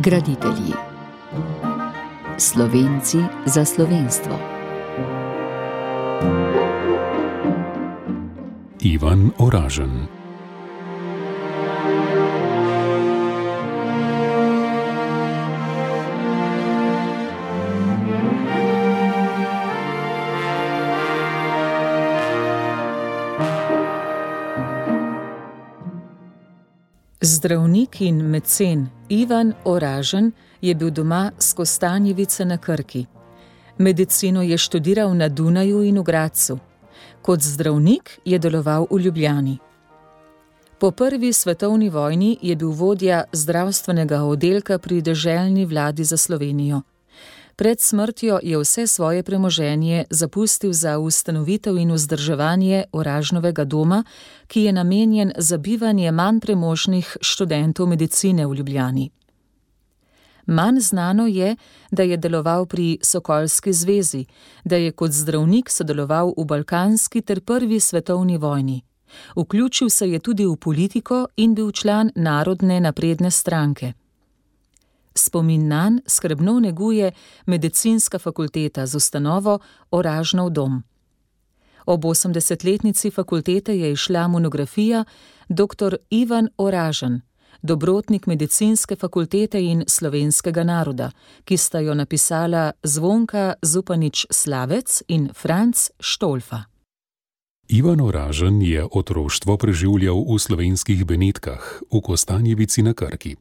Graditelji. Slovenci za slovenstvo. Ivan Oražen. Zdravnik in mecen Ivan Oražen je bil doma s Kostanjevice na Krki. Medicino je študiral na Dunaju in v Gradcu. Kot zdravnik je deloval v Ljubljani. Po prvi svetovni vojni je bil vodja zdravstvenega oddelka pri deželni vladi za Slovenijo. Pred smrtjo je vse svoje premoženje zapustil za ustanovitev in vzdrževanje Oražnovega doma, ki je namenjen za bivanje manj premožnih študentov medicine v Ljubljani. Manj znano je, da je deloval pri Sokolski zvezi, da je kot zdravnik sodeloval v balkanski ter prvi svetovni vojni. Vključil se je tudi v politiko in bil član Narodne napredne stranke. Spomin nanj skrbno neguje Medicinska fakulteta z ustanovo Oražnov dom. Ob 80-letnici fakultete je izšla monografija Dr. Ivan Oražen, dobrotnik Medicinske fakultete in slovenskega naroda, ki sta jo napisala Zvonka Zupanič-Slavec in Franc Štolfa. Ivan Oražen je otroštvo preživljal v slovenskih Benetkah, v Kostanjevici na Krki.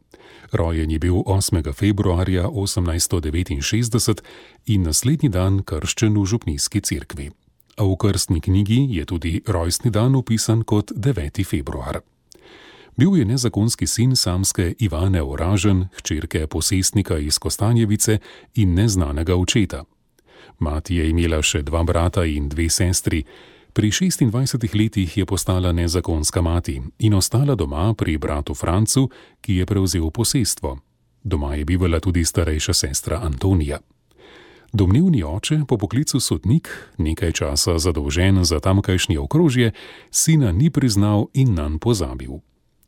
Rojen je bil 8. februarja 1869 in naslednji dan krščen v župnijski cerkvi. A v krstni knjigi je tudi rojstni dan upisan kot 9. februar. Bil je nezakonski sin samske Ivane Oražen, hčerke posestnika iz Kostanjevice in neznanega očeta. Mati je imela še 2 brata in 2 sestri. Pri 26 letih je postala nezakonska mati in ostala doma pri bratu Francu, ki je prevzel posestvo. Doma je bivala tudi starejša sestra Antonija. Domnevni oče, po poklicu sodnik, nekaj časa zadolžen za tamkajšnje okrožje, sina ni priznal in nanj pozabil.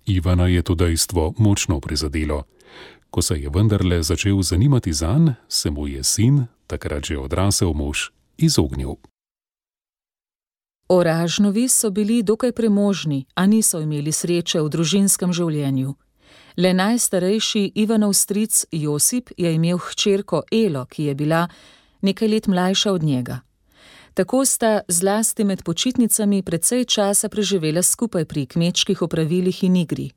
Ivana je to dejstvo močno prizadelo. Ko se je vendarle začel zanimati zanj, se mu je sin, takrat že odrasel mož, izognil. Oražnovi so bili dokaj premožni, a niso imeli sreče v družinskem življenju. Le najstarejši Ivanov stric Josip je imel hčerko Elo, ki je bila nekaj let mlajša od njega. Tako sta zlasti med počitnicami precej časa preživela skupaj pri kmečkih opravilih in igri.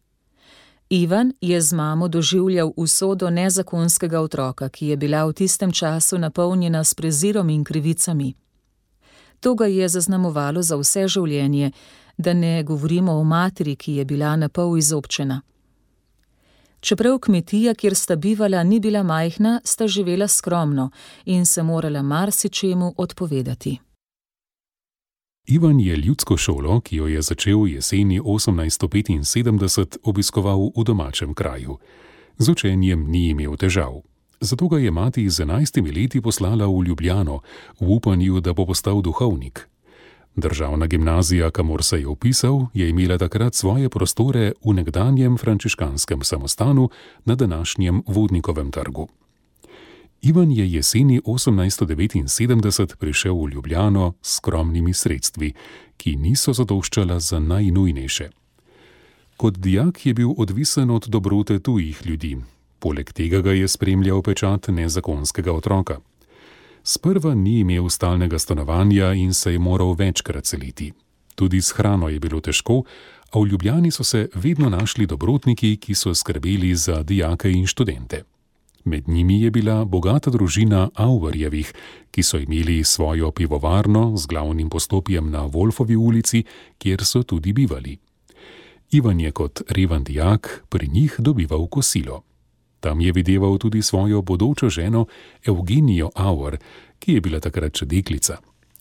Ivan je z mamo doživljal usodo nezakonskega otroka, ki je bila v tistem času napolnjena s prezirom in krivicami. To ga je zaznamovalo za vse življenje, da ne govorimo o materi, ki je bila napol izobčena. Čeprav kmetija, kjer sta bivala, ni bila majhna, sta živela skromno in se morala marsičemu odpovedati. Ivan je ljudsko šolo, ki jo je začel jeseni 1875, obiskoval v domačem kraju. Z učenjem ni imel težav. Zato ga je mati z 11 leti poslala v Ljubljano, v upanju, da bo postal duhovnik. Državna gimnazija, kamor se je vpisal, je imela takrat svoje prostore v nekdanjem frančiškanskem samostanu na današnjem Vodnikovem trgu. Ivan je jeseni 1879 prišel v Ljubljano s skromnimi sredstvi, ki niso zadoščala za najnujnejše. Kot dijak je bil odvisen od dobrote tujih ljudi. Poleg tega ga je spremljal pečat nezakonskega otroka. Sprva ni imel stalnega stanovanja in se je moral večkrat seliti. Tudi s hrano je bilo težko, a v Ljubljani so se vedno našli dobrotniki, ki so skrbeli za dijake in študente. Med njimi je bila bogata družina Auvarjevih, ki so imeli svojo pivovarno z glavnim poslopjem na Wolfovi ulici, kjer so tudi bivali. Ivan je kot reven dijak pri njih dobival kosilo. Tam je videval tudi svojo bodočo ženo Evgenijo Auer, ki je bila takrat še deklica.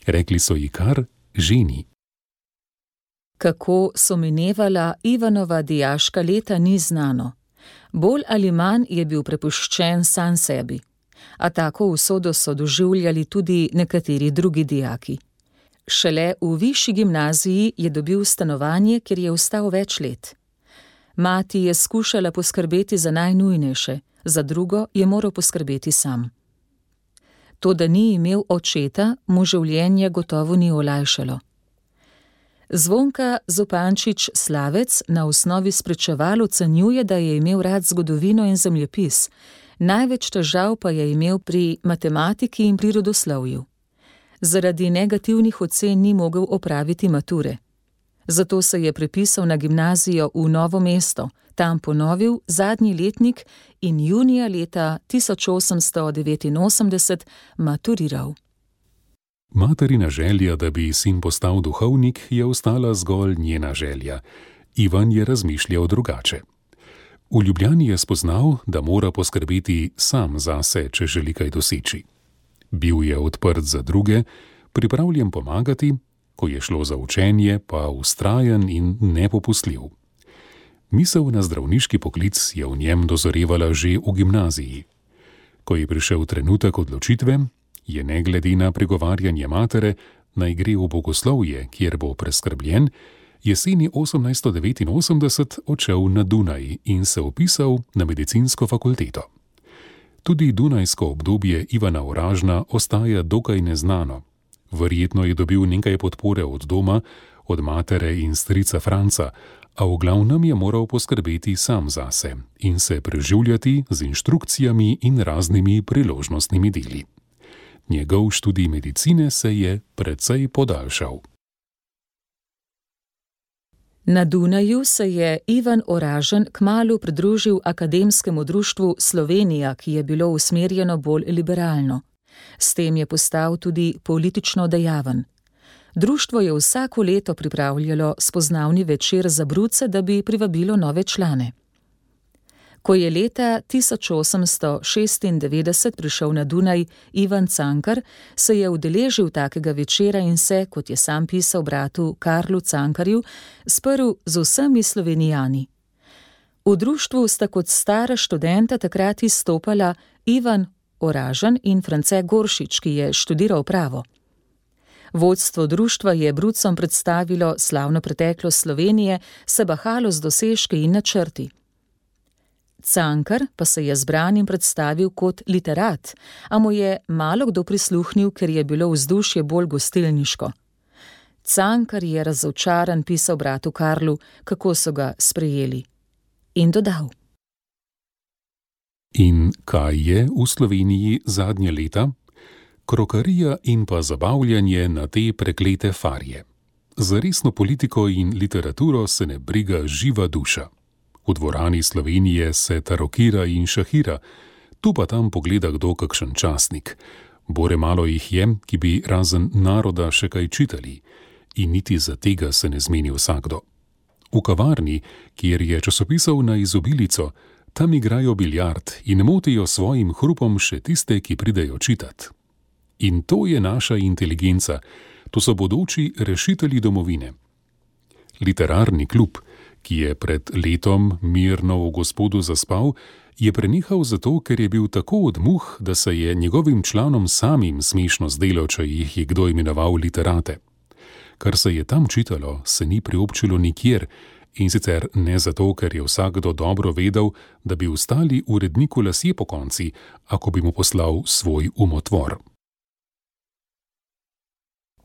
Rekli so ji kar ženi. Kako so minevala Ivanova dijaška leta, ni znano. Bolj ali manj je bil prepuščen sam sebi. A tako usodo so doživljali tudi nekateri drugi dijaki. Šele v višji gimnaziji je dobil stanovanje, kjer je ostal več let. Mati je skušala poskrbeti za najnujnejše, za drugo je moral poskrbeti sam. To, da ni imel očeta, mu življenje gotovo ni olajšalo. Zvonka Zupančič Slavec na osnovi spričeval ocenjuje, da je imel rad zgodovino in zemljepis, največ težav pa je imel pri matematiki in prirodoslovju. Zaradi negativnih ocen ni mogel opraviti mature. Zato se je prepisal na gimnazijo v Novo mesto, tam ponovil zadnji letnik in junija leta 1889 maturiral. Materina želja, da bi sin postal duhovnik, je ostala zgolj njena želja. Ivan je razmišljal drugače. V Ljubljani je spoznal, da mora poskrbeti sam zase, če želi kaj doseči. Bil je odprt za druge, pripravljen pomagati, ko je šlo za učenje, pa vztrajen in nepopustljiv. Misel na zdravniški poklic je v njem dozorevala že v gimnaziji. Ko je prišel trenutek odločitve, je ne glede na pregovarjanje matere, naj gre v bogoslovje, kjer bo preskrbljen, jeseni 1889 odšel na Dunaj in se vpisal na medicinsko fakulteto. Tudi dunajsko obdobje Ivana Oražna ostaja dokaj neznano. Verjetno je dobil nekaj podpore od doma, od matere in strica Franca, a v glavnem je moral poskrbeti sam zase in se preživljati z inštrukcijami in raznimi priložnostnimi deli. Njegov študij medicine se je precej podaljšal. Na Dunaju se je Ivan Oražen kmalu pridružil Akademskemu društvu Slovenija, ki je bilo usmerjeno bolj liberalno. S tem je postal tudi politično dejaven. Društvo je vsako leto pripravljalo spoznavni večer za bruce, da bi privabilo nove člane. Ko je leta 1896 prišel na Dunaj Ivan Cankar, se je udeležil takega večera in se, kot je sam pisal bratu Karlu Cankarju, sprl z vsemi Slovenijani. V društvu sta kot stara študenta takrat izstopala Ivan Oražen in France Goršič, ki je študiral pravo. Vodstvo društva je brucom predstavilo slavno preteklost Slovenije, se bahalo z dosežki in načrti. Cankar pa se je zbranim predstavil kot literat, a mu je malo kdo prisluhnil, ker je bilo vzdušje bolj gostilniško. Cankar je razočaran pisal bratu Karlu, kako so ga sprejeli. In dodal: In kaj je v Sloveniji zadnje leta? Krokarija in pa zabavljanje na te preklete farje. Za resno politiko in literaturo se ne briga živa duša. V dvorani Slovenije se tarokira in šahira, tu pa tam pogleda kdo kakšen časnik. Bore malo jih je, ki bi razen naroda še kaj čitali, in niti za tega se ne zmeni vsakdo. V kavarni, kjer je časopisal na izobilico, tam igrajo biljard in motijo svojim hrupom še tiste, ki pridejo čitat. In to je naša inteligenca, to so bodoči rešitelji domovine. Literarni klub, ki je pred letom mirno v Gospodu zaspal, je prenehal zato, ker je bil tako od muh, da se je njegovim članom samim smešno zdelo, če jih je kdo imenoval literate. Kar se je tam čitalo, se ni priobčilo nikjer, in sicer ne zato, ker je vsakdo dobro vedel, da bi ostali uredniku lasje pokonci, ako bi mu poslal svoj umotvor.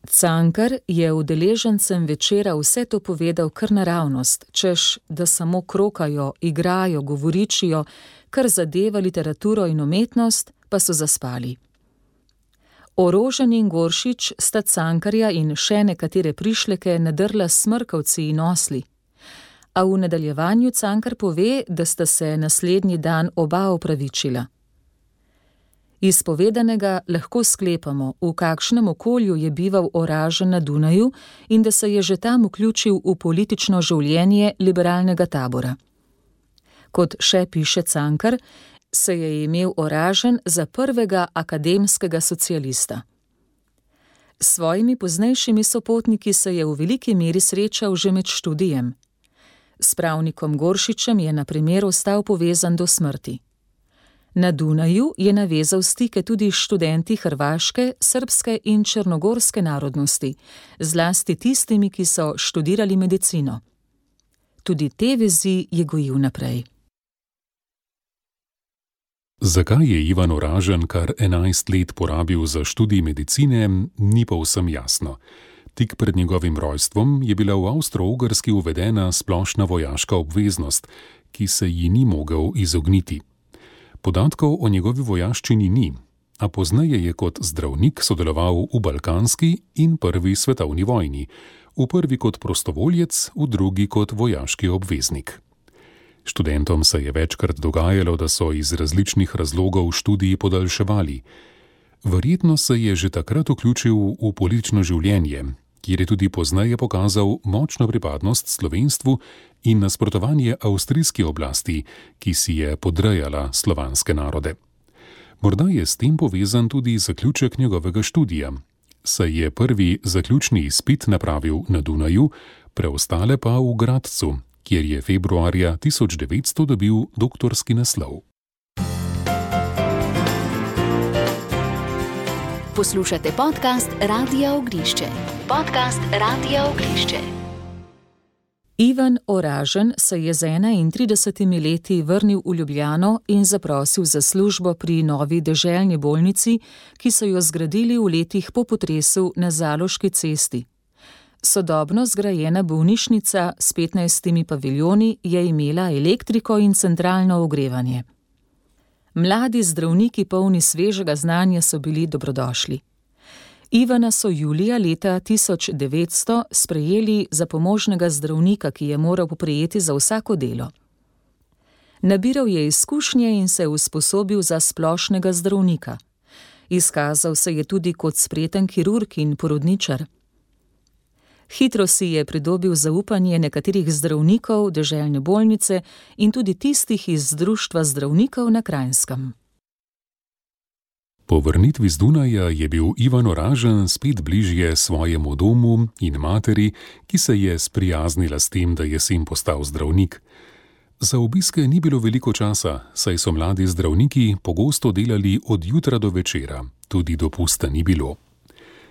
Cankar je udeležencem večera vse to povedal kar naravnost, češ, da samo krokajo, igrajo, govoričijo, kar zadeva literaturo in umetnost, pa so zaspali. Orožen in Goršič sta Cankarja in še nekatere prišleke nadrla s smrkavci in osli. A v nadaljevanju Cankar pove, da sta se naslednji dan oba opravičila. Iz povedanega lahko sklepamo, v kakšnem okolju je bival Oražen na Dunaju in da se je že tam vključil v politično življenje liberalnega tabora. Kot še piše Cankar, se je imel Oražen za prvega akademskega socialista. S svojimi poznejšimi sopotniki se je v veliki meri srečal že med študijem. S pravnikom Goršičem je na primer ostal povezan do smrti. Na Dunaju je navezal stike tudi s študenti hrvaške, srbske in črnogorske narodnosti, zlasti tistimi, ki so študirali medicino. Tudi te vezi je gojil naprej. Zakaj je Ivan Oražen kar 11 let porabil za študij medicine, ni povsem jasno. Tik pred njegovim rojstvom je bila v Avstro-Ogrski uvedena splošna vojaška obveznost, ki se ji ni mogel izogniti. Podatkov o njegovi vojaščini ni, a pozneje je kot zdravnik sodeloval v Balkanski in Prvi svetovni vojni, v prvi kot prostovoljec, v drugi kot vojaški obveznik. Študentom se je večkrat dogajalo, da so iz različnih razlogov študij podaljševali. Verjetno se je že takrat vključil v politično življenje, kjer je tudi pozneje pokazal močno pripadnost slovenstvu in nasprotovanje avstrijski oblasti, ki si je podrejala slovanske narode. Morda je s tem povezan tudi zaključek njegovega študija, saj je prvi zaključni izpit napravil na Dunaju, preostale pa v Gradcu, kjer je februarja 1900 dobil doktorski naslov. Poslušate podcast Radia Ognišče. Podcast Radia Ognišče. Ivan Oražen se je z 31 leti vrnil v Ljubljano in zaprosil za službo pri novi deželni bolnici, ki so jo zgradili v letih po potresu na Zaloški cesti. Sodobno zgrajena bolnišnica s 15 paviljoni je imela elektriko in centralno ogrevanje. Mladi zdravniki polni svežega znanja so bili dobrodošli. Ivana so julija leta 1900 sprejeli za pomožnega zdravnika, ki je moral poprijeti za vsako delo. Nabiral je izkušnje in se usposobil za splošnega zdravnika. Izkazal se je tudi kot spreten kirurg in porodničar. Hitro si je pridobil zaupanje nekaterih zdravnikov deželne bolnice in tudi tistih iz Društva zdravnikov na Kranjskem. Po vrnitvi z Dunaja je bil Ivan Oražen spet bližje svojemu domu in materi, ki se je sprijaznila s tem, da je sin postal zdravnik. Za obiske ni bilo veliko časa, saj so mladi zdravniki pogosto delali od jutra do večera, tudi dopusta ni bilo.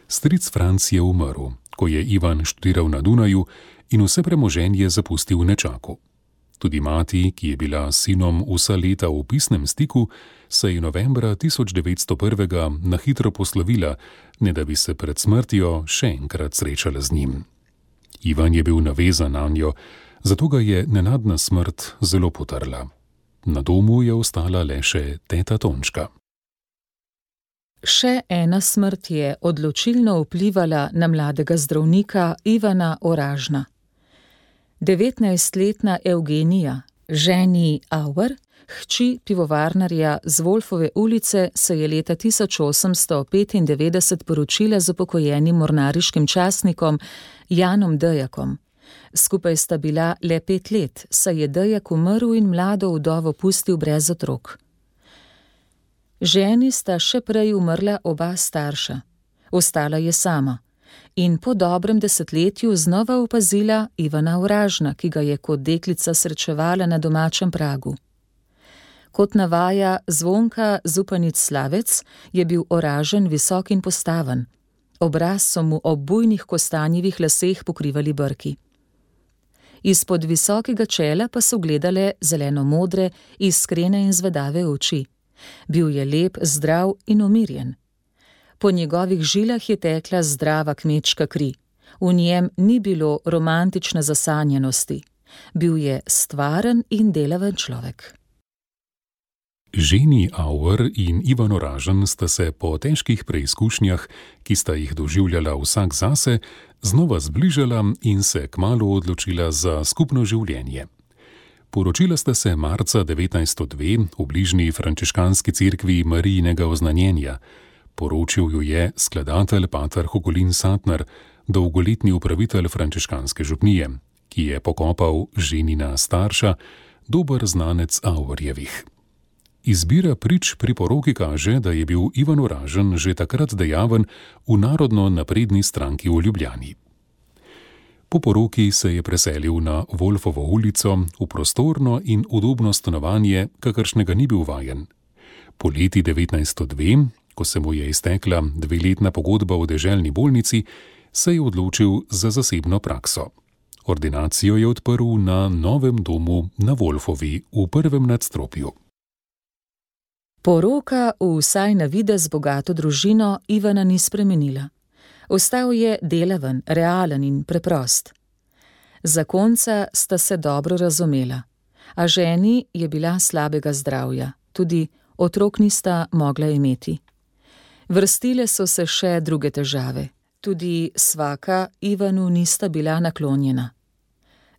Stric Franc je umrl, ko je Ivan študiral na Dunaju in vse premoženje zapustil v nečaku. Tudi mati, ki je bila s sinom vsa leta v pisnem stiku, se je novembra 1901 na hitro poslovila, ne da bi se pred smrtjo še enkrat srečala z njim. Ivan je bil navezan nanjo, zato ga je nenadna smrt zelo potrla. Na domu je ostala le še teta Tončka. Še ena smrt je odločilno vplivala na mladega zdravnika Ivana Oražna. 19-letna Evgenija, ženi Auer, hči pivovarnarja z Wolfove ulice, se je leta 1895 poročila z upokojenim mornariškim častnikom Janom Dejakom. Skupaj sta bila le 5 let, saj je Dejak umrl in mlado vdovo pustil brez otrok. Ženi sta še prej umrla oba starša. Ostala je sama in po dobrem desetletju znova opazila Ivana Oražna, ki ga je kot deklica srečevala na domačem pragu. Kot navaja Zvonka Zupanic Slavec, je bil Oražen visok in postaven. Obraz so mu ob bujnih kostanjevih laseh pokrivali brki. Izpod visokega čela pa so gledale zeleno-modre, iskrene in zvedave oči. Bil je lep, zdrav in umirjen. Po njegovih žilah je tekla zdrava kmečka kri. V njem ni bilo romantične zasanjenosti. Bil je stvaren in delaven človek. Ženi Auer in Ivan Oražen sta se po težkih preizkušnjah, ki sta jih doživljala vsak zase, znova zbližala in se kmalu odločila za skupno življenje. Poročila sta se marca 1902 v bližnji frančiškanski cerkvi Marijinega oznanjenja. Poročil ju je skladatelj pater Hugolin Satner, dolgoletni upravitelj frančiškanske župnije, ki je pokopal ženina starša, dober znanec Auerjevih. Izbira prič pri poroki kaže, da je bil Ivan Oražen že takrat dejaven v narodno napredni stranki v Ljubljani. Po poroki se je preselil na Wolfovo ulico v prostorno in udobno stanovanje, kakršnega ni bil vajen. Poleti 1902, ko se mu je iztekla 2-letna pogodba v deželni bolnici, se je odločil za zasebno prakso. Ordinacijo je odprl na novem domu na Wolfovi v prvem nadstropju. Poroka v vsaj na videz bogato družino Ivana ni spremenila. Ostal je delaven, realen in preprost. Zakonca sta se dobro razumela, a ženi je bila slabega zdravja, tudi otrok nista mogla imeti. Vrstile so se še druge težave, tudi svaka Ivanu nista bila naklonjena.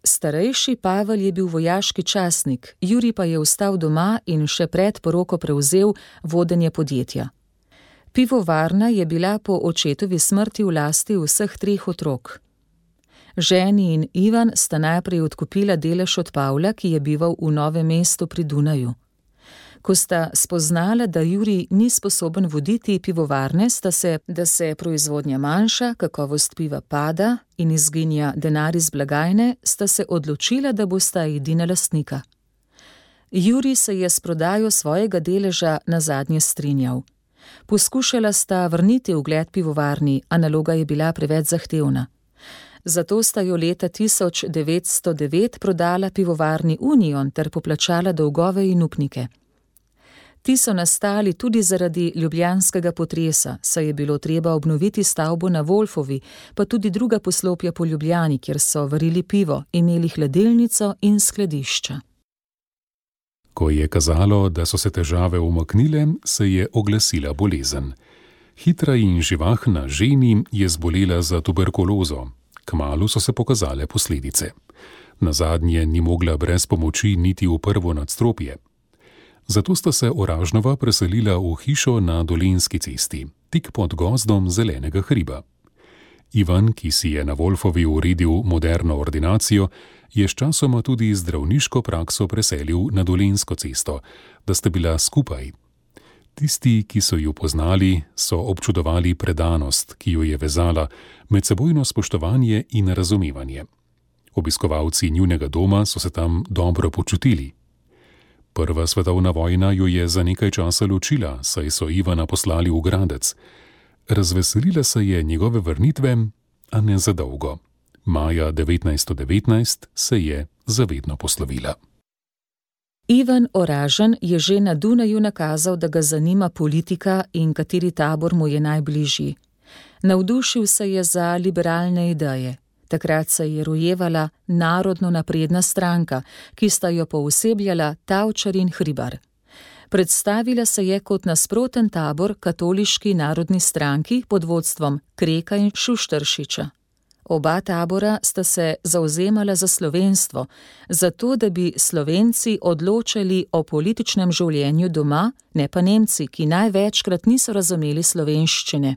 Starejši Pavel je bil vojaški častnik, Jurij pa je ostal doma in še pred poroko prevzel vodenje podjetja. Pivovarna je bila po očetovi smrti v lasti vseh 3 otrok. Ženi in Ivan sta najprej odkupila delež od Pavla, ki je bival v Novem mestu pri Dunaju. Ko sta spoznala, da Jurij ni sposoben voditi pivovarne, da se proizvodnja manjša, kakovost piva pada in izginja denar iz blagajne, sta se odločila, da bosta edina lastnika. Jurij se je s prodajo svojega deleža nazadnje strinjal. Poskušala sta vrniti ugled pivovarni, a naloga je bila preveč zahtevna. Zato sta jo leta 1909 prodala pivovarni Union ter poplačala dolgove in upnike. Ti so nastali tudi zaradi ljubljanskega potresa, saj je bilo treba obnoviti stavbo na Wolfovi, pa tudi druga poslopja po Ljubljani, kjer so varili pivo, imeli hladilnico in skladišča. Ko je kazalo, da so se težave umaknile, se je oglasila bolezen. Hitra in živahna ženi je zbolela za tuberkulozo. Kmalu so se pokazale posledice. Nazadnje ni mogla brez pomoči niti v prvo nadstropje. Zato sta se Oražnova preselila v hišo na Dolenjski cesti, tik pod gozdom Zelenega hriba. Ivan, ki si je na Wolfovi uredil moderno ordinacijo, je sčasoma tudi zdravniško prakso preselil na Dolenjsko cesto, da sta bila skupaj. Tisti, ki so jo poznali, so občudovali predanost, ki jo je vezala, medsebojno spoštovanje in razumevanje. Obiskovalci njunega doma so se tam dobro počutili. Prva svetovna vojna jo je za nekaj časa ločila, saj so Ivana poslali v Gradec. Razveselila se je njegove vrnitve, a ne za dolgo. Maja 1919 se je zavedno poslovila. Ivan Oražen je že na Dunaju nakazal, da ga zanima politika in kateri tabor mu je najbližji. Navdušil se je za liberalne ideje. Takrat se je rojevala Narodno napredna stranka, ki sta jo poosebljala Tavčar in Hribar. Predstavila se je kot nasproten tabor katoliški narodni stranki pod vodstvom Kreka in Šušteršiča. Oba tabora sta se zavzemala za slovenstvo, zato da bi Slovenci odločali o političnem življenju doma, ne pa Nemci, ki največkrat niso razumeli slovenščine.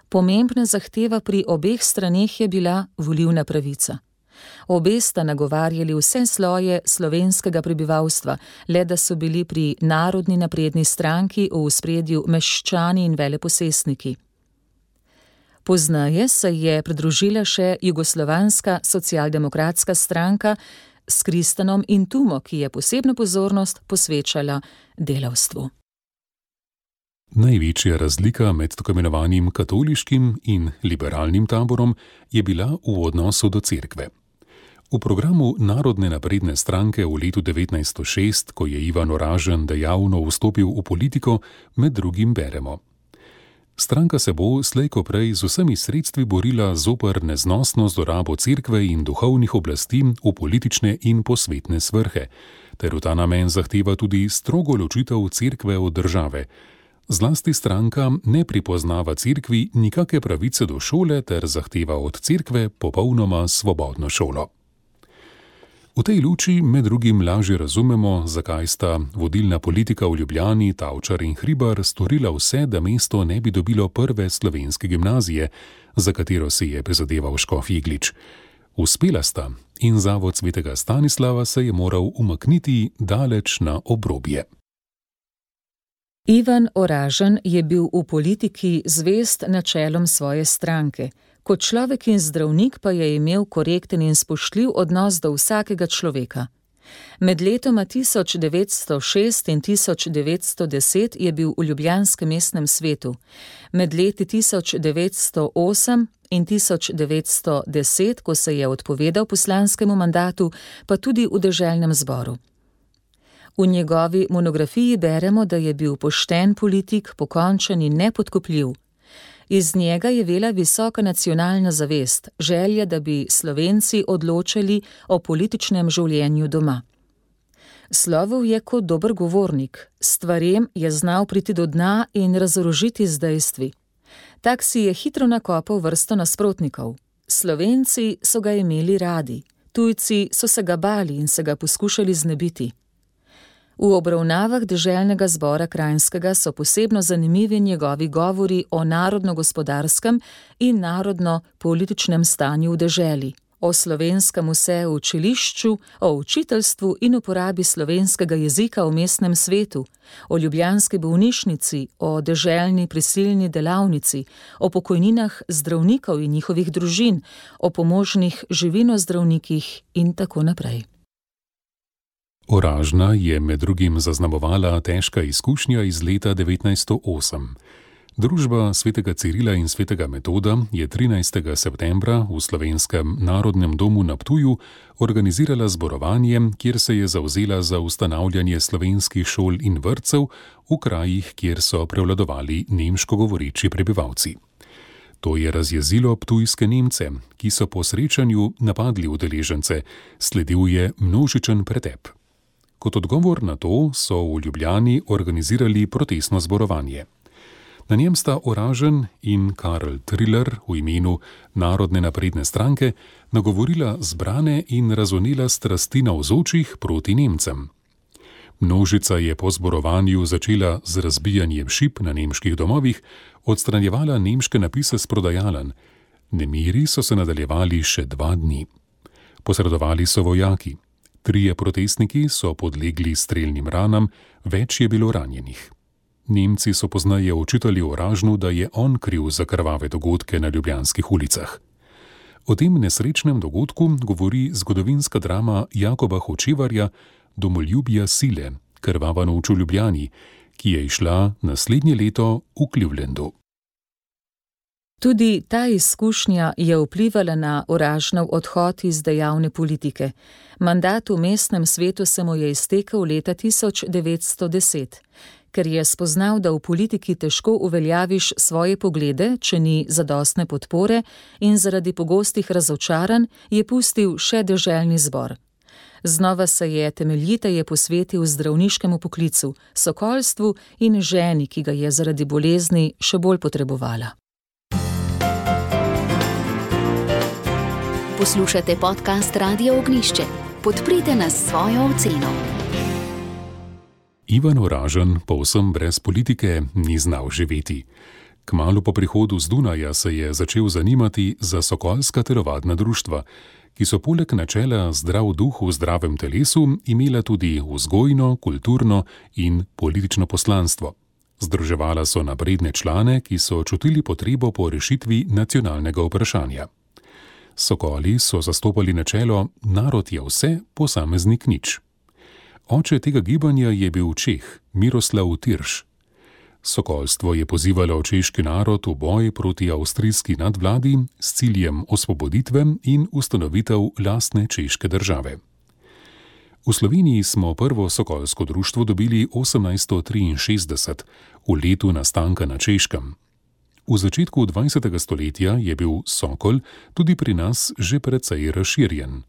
Pomembna zahteva pri obeh straneh je bila volilna pravica. Obe sta nagovarjali vse sloje slovenskega prebivalstva, le da so bili pri Narodni napredni stranki v ospredju meščani in veleposestniki. Pozneje se je pridružila še Jugoslovanska socialdemokratska stranka s Kristanom in Tumo, ki je posebno pozornost posvečala delavstvu. Največja razlika med tako imenovanim katoliškim in liberalnim taborom je bila v odnosu do cerkve. V programu Narodne napredne stranke v letu 1906, ko je Ivan Oražen dejavno vstopil v politiko, med drugim beremo: Stranka se bo slej ko prej z vsemi sredstvi borila zoper neznosno zlorabo cerkve in duhovnih oblasti v politične in posvetne svrhe, ter v ta namen zahteva tudi strogo ločitev cerkve od države. Zlasti stranka ne pripoznava cerkvi nikake pravice do šole ter zahteva od cerkve popolnoma svobodno šolo. V tej luči med drugim lažje razumemo, zakaj sta vodilna politika v Ljubljani, Tavčar in Hribar storila vse, da mesto ne bi dobilo prve slovenske gimnazije, za katero si je prizadeval škof Jeglič. Uspela sta in zavod svetega Stanislava se je moral umakniti daleč na obrobje. Ivan Oražen je bil v politiki zvest načelom svoje stranke. Kot človek in zdravnik pa je imel korekten in spoštljiv odnos do vsakega človeka. Med letoma 1906 in 1910 je bil v ljubljanskem mestnem svetu. Med leti 1908 in 1910, ko se je odpovedal poslanskemu mandatu, pa tudi v deželnem zboru. V njegovi monografiji beremo, da je bil pošten politik, pokončen in nepodkupljiv. Iz njega je vela visoka nacionalna zavest, želja, da bi Slovenci odločali o političnem življenju doma. Slovel je kot dober govornik, stvarem je znal priti do dna in razorožiti z dejstvi. Tak si je hitro nakopal vrsto nasprotnikov. Slovenci so ga imeli radi, tujci so se ga bali in se ga poskušali znebiti. V obravnavah deželnega zbora Kranjskega so posebno zanimivi njegovi govori o narodno-gospodarskem in narodno-političnem stanju v deželi, o slovenskem vseučilišču, o učiteljstvu in uporabi slovenskega jezika v mestnem svetu, o ljubljanski bolnišnici, o deželni prisilni delavnici, o pokojninah zdravnikov in njihovih družin, o pomožnih živinozdravnikih in tako naprej. Oražna je med drugim zaznamovala težka izkušnja iz leta 1908. Družba svetega Cirila in svetega Metoda je 13. septembra v Slovenskem narodnem domu na Ptuju organizirala zborovanje, kjer se je zavzela za ustanavljanje slovenskih šol in vrtcev v krajih, kjer so prevladovali nemško govoreči prebivalci. To je razjezilo ptujske Nemce, ki so po srečanju napadli udeležence, sledil je množičen pretep. Kot odgovor na to so v Ljubljani organizirali protestno zborovanje. Na njem sta Oražen in Karl Triller v imenu Narodne napredne stranke nagovorila zbrane in razvnela strasti navzočih proti Nemcem. Množica je po zborovanju začela z razbijanjem šip na nemških domovih, odstranjevala nemške napise s prodajalenj. Nemiri so se nadaljevali še 2 dni. Posredovali so vojaki. 3 protestniki so podlegli strelnim ranam, več je bilo ranjenih. Nemci so pozneje očitali Oražnu, da je on kriv za krvave dogodke na ljubljanskih ulicah. O tem nesrečnem dogodku govori zgodovinska drama Jakoba Hočevarja Domoljubja sile, krvava noč v Ljubljani, ki je izšla naslednje leto v Clevelandu. Tudi ta izkušnja je vplivala na Oražnov odhod iz dejavne politike. Mandat v mestnem svetu se mu je iztekel leta 1910. Ker je spoznal, da v politiki težko uveljaviš svoje poglede, če ni zadostne podpore, in zaradi pogostih razočaranj je pustil še deželni zbor. Znova se je temeljiteje posvetil zdravniškemu poklicu, sokolstvu in ženi, ki ga je zaradi bolezni še bolj potrebovala. Poslušate podcast Radia Ognišče. Podprite nas s svojo oceno. Ivan Oražen povsem brez politike ni znal živeti. Kmalu po prihodu z Dunaja se je začel zanimati za sokolska telovadna društva, ki so poleg načela zdrav duh v zdravem telesu imela tudi vzgojno, kulturno in politično poslanstvo. Združevala so napredne člane, ki so čutili potrebo po rešitvi nacionalnega vprašanja. Sokoli so zastopali načelo narod je vse, posameznik nič. Oče tega gibanja je bil Čeh, Miroslav Tirš. Sokolstvo je pozivalo češki narod v boj proti avstrijski nadvladi s ciljem osvoboditve in ustanovitev lastne češke države. V Sloveniji smo prvo sokolsko društvo dobili 1863, v letu nastanka na Češkem. V začetku 20. stoletja je bil sokol tudi pri nas že precej razširjen.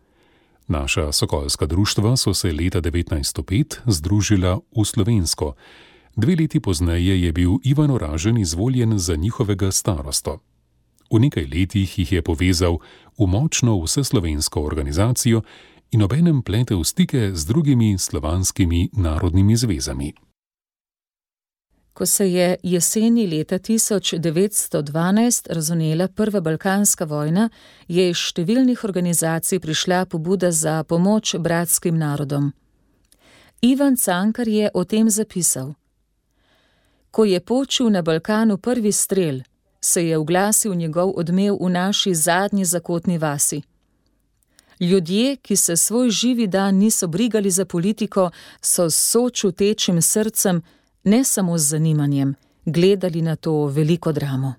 Naša sokolska društva so se leta 1905 združila v slovensko. 2 leti pozneje je bil Ivan Oražen izvoljen za njihovega starosto. V nekaj letih jih je povezal v močno vseslovensko organizacijo in obenem pletel stike z drugimi slovanskimi narodnimi zvezami. Ko se je jeseni leta 1912 razvnela prva balkanska vojna, je iz številnih organizacij prišla pobuda za pomoč bratskim narodom. Ivan Cankar je o tem zapisal: Ko je počil na Balkanu prvi strel, se je oglasil njegov odmev v naši zadnji zakotni vasi. Ljudje, ki se svoj živi dan niso brigali za politiko, so s sočutečim srcem, ne samo z zanimanjem, gledali na to veliko dramo.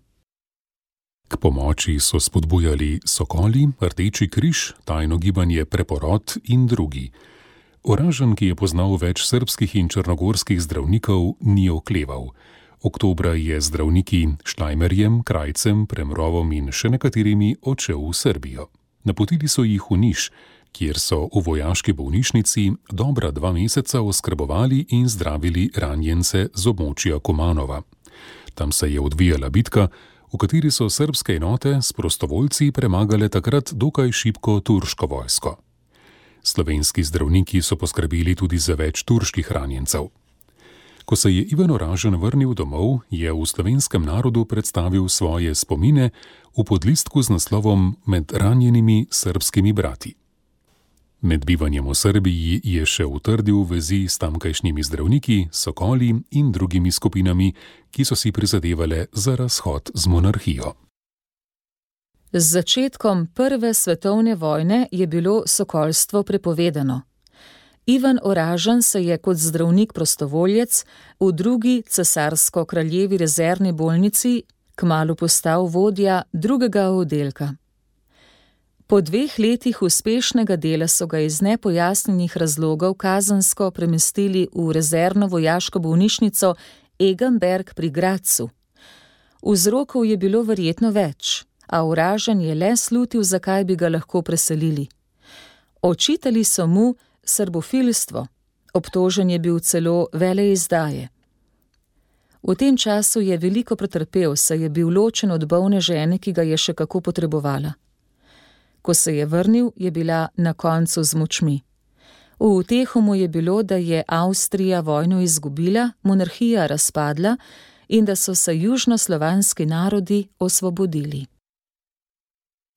K pomoči so spodbujali Sokoli, Rdeči križ, tajno gibanje Preporod in drugi. Oražen, ki je poznal več srbskih in črnogorskih zdravnikov, ni okleval. Oktobra je z zdravniki Štajmerjem, Krajcem, Premrovom in še nekaterimi odšel v Srbijo. Napotili so jih v Niš, kjer so v vojaški bolnišnici dobra 2 meseca oskrbovali in zdravili ranjence z območja Komanova. Tam se je odvijala bitka, v kateri so srbske enote s prostovoljci premagale takrat dokaj šibko turško vojsko. Slovenski zdravniki so poskrbeli tudi za več turških ranjencev. Ko se je Ivan Oražen vrnil domov, je v slovenskem narodu predstavil svoje spomine v podlistku z naslovom Med ranjenimi srbskimi brati. Med bivanjem v Srbiji je še utrdil vezi s tamkajšnjimi zdravniki, sokoli in drugimi skupinami, ki so si prizadevale za razhod z monarhijo. Z začetkom Prve svetovne vojne je bilo sokolstvo prepovedano. Ivan Oražen se je kot zdravnik prostovoljec v drugi cesarsko-kraljevi rezervni bolnici kmalu postal vodja drugega oddelka. Po 2 letih uspešnega dela so ga iz nepojasnjenih razlogov kazensko premestili v rezervno vojaško bolnišnico Egenberg pri Gradcu. Vzrokov je bilo verjetno več, a Oražen je le slutil, zakaj bi ga lahko preselili. Očitali so mu srbofilstvo, obtožen je bil celo veleizdaje. V tem času je veliko pretrpel, saj je bil ločen od bolne žene, ki ga je še kako potrebovala. Ko se je vrnil, je bila na koncu z močmi. V uteho mu je bilo, da je Avstrija vojno izgubila, monarhija razpadla in da so se južnoslovanski narodi osvobodili.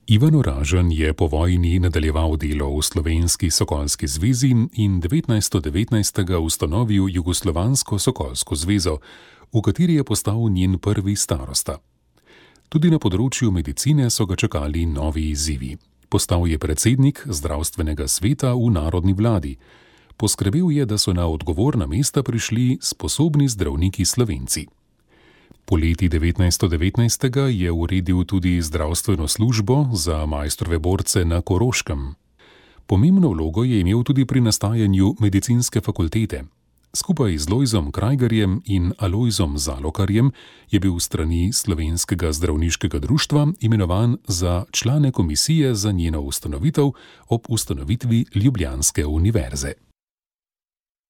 Ivan Oražen je po vojni nadaljeval delo v Slovenski sokolski zvezi in 1919. ustanovil Jugoslovansko sokolsko zvezo, v kateri je postal njen prvi starosta. Tudi na področju medicine so ga čakali novi izzivi. Postal je predsednik zdravstvenega sveta v narodni vladi. Poskrbel je, da so na odgovorna mesta prišli sposobni zdravniki Slovenci. Poleti 1919. je uredil tudi zdravstveno službo za Maistrove borce na Koroškem. Pomembno vlogo je imel tudi pri nastajanju medicinske fakultete. Skupaj z Lojzom Krajgerjem in Alojzom Zalokarjem je bil s strani Slovenskega zdravniškega društva imenovan za člane komisije za njeno ustanovitev ob ustanovitvi Ljubljanske univerze.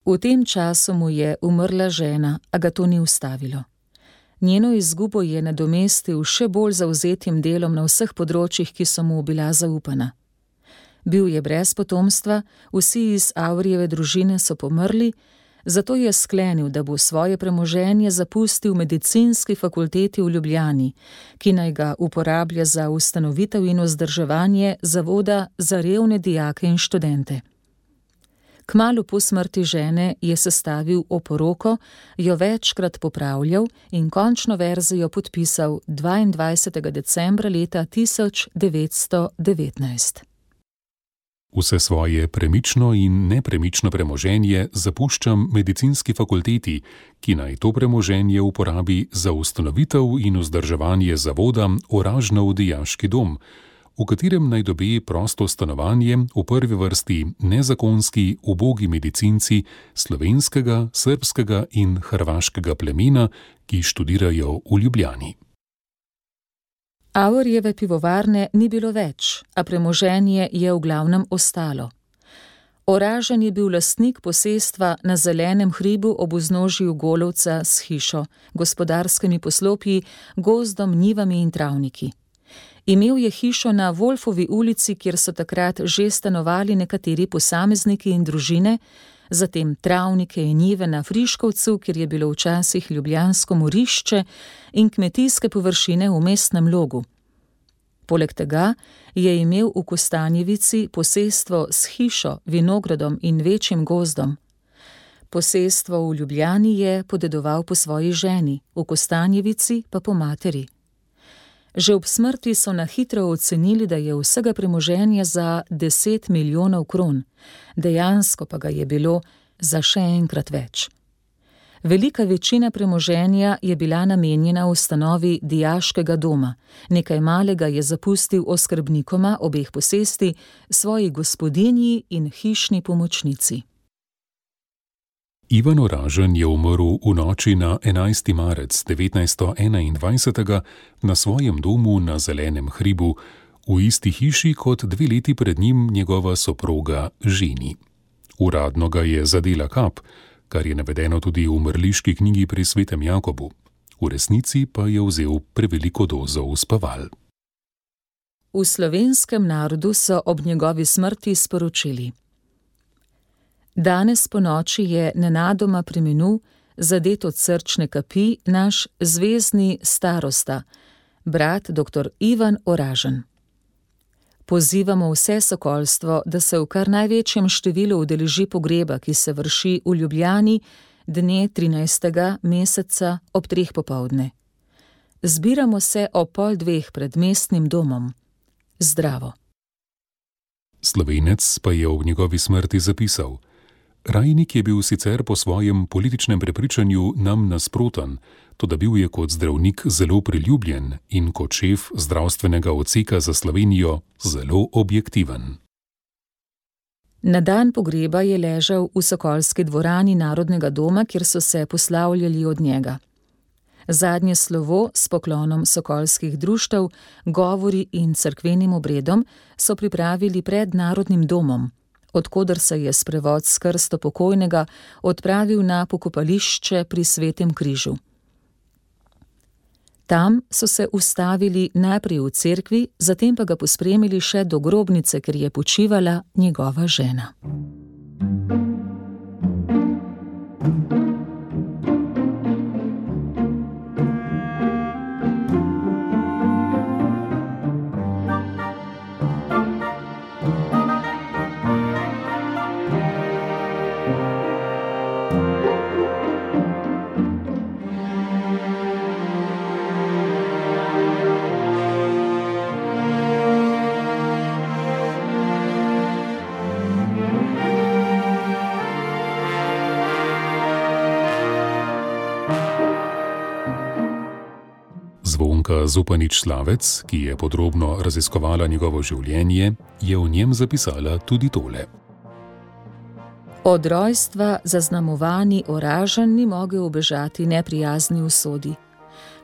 V tem času mu je umrla žena, a ga to ni ustavilo. Njeno izgubo je nadomestil še bolj zavzetim delom na vseh področjih, ki so mu bila zaupana. Bil je brez potomstva, vsi iz Avrijeve družine so pomrli, zato je sklenil, da bo svoje premoženje zapustil medicinski fakulteti v Ljubljani, ki naj ga uporablja za ustanovitev in vzdrževanje zavoda za revne dijake in študente. Kmalu po smrti žene je sestavil oporoko, jo večkrat popravljal in končno verzijo podpisal 22. decembra leta 1919. Vse svoje premično in nepremično premoženje zapuščam medicinski fakulteti, ki naj to premoženje uporabi za ustanovitev in vzdrževanje zavoda Oražnov dijaški dom, v katerem naj dobi prosto stanovanje v prvi vrsti nezakonski ubogi medicinci slovenskega, srbskega in hrvaškega plemena, ki študirajo v Ljubljani. Avrjeve pivovarne ni bilo več, a premoženje je v glavnem ostalo. Oražen je bil lastnik posestva na zelenem hribu ob vznožju Golovca s hišo, gospodarskimi poslopji, gozdom, njivami in travniki. Imel je hišo na Wolfovi ulici, kjer so takrat že stanovali nekateri posamezniki in družine, zatem travnike in njive na Friškovcu, kjer je bilo včasih ljubljansko morišče, in kmetijske površine v Mestnem Logu. Poleg tega je imel v Kostanjevici posestvo s hišo, vinogradom in večjim gozdom. Posestvo v Ljubljani je podedoval po svoji ženi, v Kostanjevici pa po materi. Že ob smrti so na hitro ocenili, da je vsega premoženja za 10 milijonov kron, dejansko pa ga je bilo za še enkrat več. Velika večina premoženja je bila namenjena ustanovi dijaškega doma, nekaj malega je zapustil oskrbnikoma obeh posesti, svoji gospodinji in hišni pomočnici. Ivan Oražen je umrl v noči na 11. marec 1921 na svojem domu na Zelenem hribu, v isti hiši kot 2 leti pred njim njegova soproga Ženi. Uradno ga je zadela kap, kar je navedeno tudi v mrliški knjigi pri svetem Jakobu. V resnici pa je vzel preveliko dozo uspaval. V slovenskem narodu so ob njegovi smrti sporočili: Danes ponoči je nenadoma preminul, zadet od srčne kapi, naš zvezni starosta, brat dr. Ivan Oražen. Pozivamo vse sokolstvo, da se v kar največjem številu udeleži pogreba, ki se vrši v Ljubljani dne 13. meseca ob 3. popoldne. Zbiramo se ob 1:30 pred mestnim domom. Zdravo. Slovenec pa je ob njegovi smrti zapisal: Rajnik je bil sicer po svojem političnem prepričanju nam nasproten, toda bil je kot zdravnik zelo priljubljen in kot šef zdravstvenega odseka za Slovenijo zelo objektiven. Na dan pogreba je ležal v sokolski dvorani Narodnega doma, kjer so se poslavljali od njega. Zadnje slovo s poklonom sokolskih društev, govori in cerkvenim obredom so pripravili pred Narodnim domom, odkoder se je sprevod s krsto pokojnega odpravil na pokopališče pri Svetem križu. Tam so se ustavili najprej v cerkvi, zatem pa ga pospremili še do grobnice, kjer je počivala njegova žena. Zvonka Zupanič-Slavec, ki je podrobno raziskovala njegovo življenje, je v njem zapisala tudi tole. Od rojstva zaznamovani Oražen ni mogel ubežati neprijazni usodi.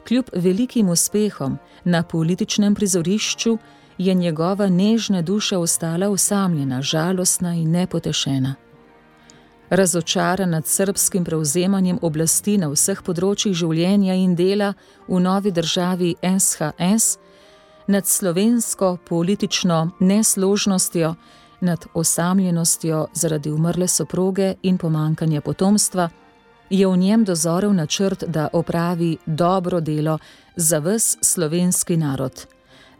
Kljub velikim uspehom na političnem prizorišču je njegova nežna duša ostala osamljena, žalostna in nepotešena. Razočaran nad srbskim prevzemanjem oblasti na vseh področjih življenja in dela v novi državi SHS, nad slovensko politično nesložnostjo, nad osamljenostjo zaradi umrle soproge in pomanjkanja potomstva, je v njem dozorel načrt, da opravi dobro delo za ves slovenski narod,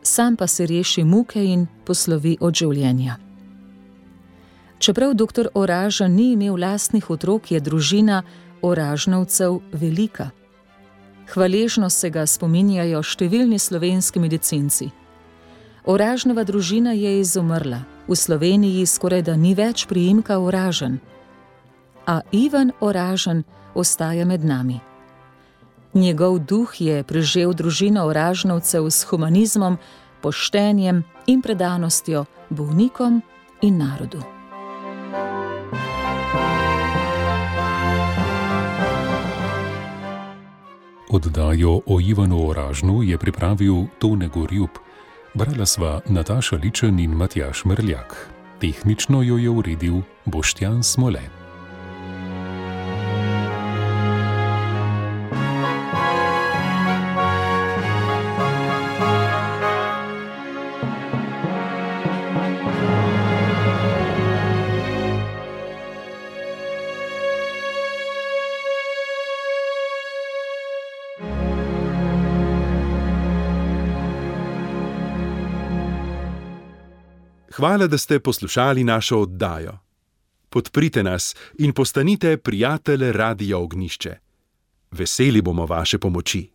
sam pa se reši muke in poslovi od življenja. Čeprav dr. Oražen ni imel lastnih otrok, je družina Oražnovcev velika. Hvaležno se ga spominjajo številni slovenski medicinci. Oražnova družina je izumrla, v Sloveniji skorajda ni več priimka Oražen. A Ivan Oražen ostaja med nami. Njegov duh je prežel družino Oražnovcev s humanizmom, poštenjem in predanostjo bolnikom in narodu. Oddajo o Ivanu Oražnu je pripravil Tone Gorjup, brala sva Nataša Ličen in Matjaž Mrljak. Tehnično jo je uredil Boštjan Smole. Hvala, da ste poslušali našo oddajo. Podprite nas in postanite prijatelj Radia Ognjišče. Veseli bomo vaše pomoči.